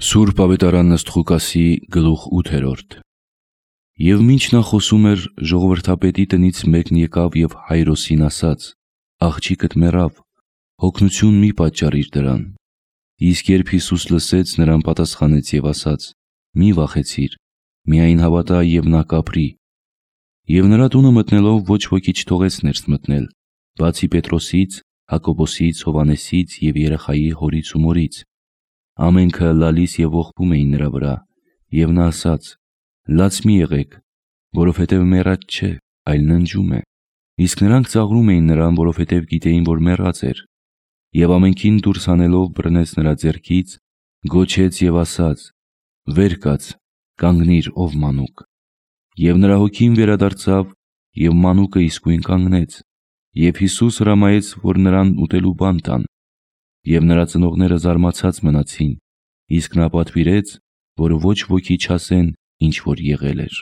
Սուրբ Ավետարան ըստ Ղուկասի գլուխ 8-րդ։ Եվ մինչ նա խոսում էր, ժողովրդապետի տնից մեկն եկավ և Հայրոսին ասաց. «Աղջիկդ մեռավ, հոգնություն մի պատճառիր դրան»։ Իսկ երբ Հիսուս լսեց, նրան պատասխանեց և ասաց. «Մի վախեցիր, միայն հավատա, և նա կապրի»։ Եվ նրա տունը մտնելով ոչ ոքի չթողեց ներս մտնել, բացի Պետրոսից, Հակոբոսից, Հովհաննեսից և երեխայի հորից ու մորից։ Ամենքը լալիս և ողբում էին նրա վրա, և նա ասաց. «Լաց մի եղեք, որովհետև մեռած չէ, այլ ննջում է»։ Իսկ նրանք ծաղրում էին նրան, որովհետև գիտեին, որ մեռած էր։ Եվ ամենքին դուրս հանելով բռնեց նրա ձեռքից, գոչեց և ասաց. «Վեր կաց, կանգնիր, ով մանուկ»։ Եվ նրա հոգին վերադարձավ, և մանուկը իսկույն կանգնեց։ Եվ Հիսուս հրամայեց, որ նրան ուտելու բան տան։ Եվ նրա ծնողները զարմացած մնացին, իսկ նա պատվիրեց, որ ոչ ոքի չասեն, ինչ որ եղել էր։